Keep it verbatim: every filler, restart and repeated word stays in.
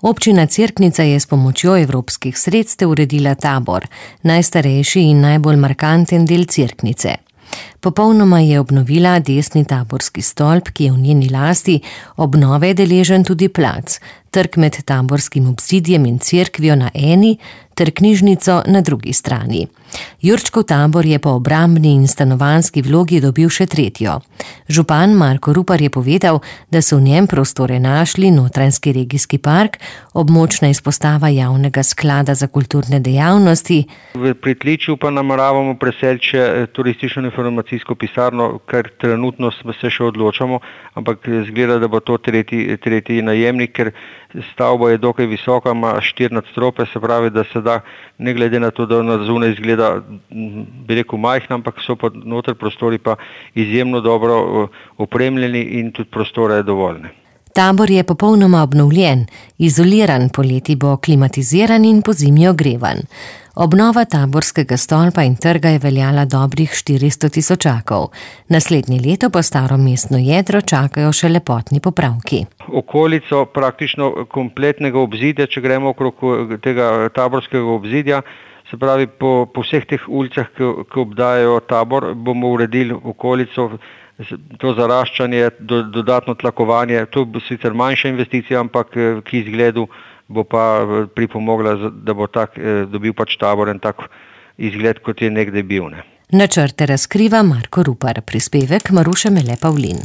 Občina Cerknica je s pomočjo evropskih sredstev uredila tabor, najstarejši in najbolj markanten del Cerknice. Popolnoma je obnovila desni taborski stolp, ki je v njeni lasti, obnove je deležen tudi plac, trg med taborskim obzidjem in cerkvijo na eni ter knjižnico na drugi strani. Jurčkov tabor je po obrambni in stanovanjski vlogi dobil še tretjo. Župan Marko Rupar je povedal, da so v njem prostore našli Notranjski regijski park, območna izpostava javnega sklada za kulturne dejavnosti. V pritličju pa nameravamo preseliti še turistično informacijsko pisarno, kar trenutno se še odločamo, ampak zgleda, da bo to tretji, tretji najemnik, ker stavba je dokaj visoka, ima štiri nadstropje, se pravi, da se da, ne glede na to, da na zunaj izgleda, bi rekel, majhna, ampak so pa noter prostori pa izjemno dobro opremljeni in tudi prostore je dovoljne. Tabor je popolnoma obnovljen, izoliran, poleti bo klimatiziran in pozimi ogrevan. Obnova taborskega stolpa in trga je veljala dobrih štiristo tisočakov. Naslednje leto pa staro mestno jedro čakajo še lepotni popravki. Okolico praktično kompletnega obzidja, če gremo okrog tega taborskega obzidja, se pravi po, po vseh teh ulicah, ki, ki obdajajo tabor, bomo uredili okolico, to zaraščanje, do, dodatno tlakovanje, to bo sicer manjša investicija, ampak ki izgledu bo pa pripomogla, da bo tak, dobil pač tabor en tak izgled, kot je nekdaj bil. Ne. Načrte razkriva Marko Rupar, prispevek Maruše Mele Pavlin.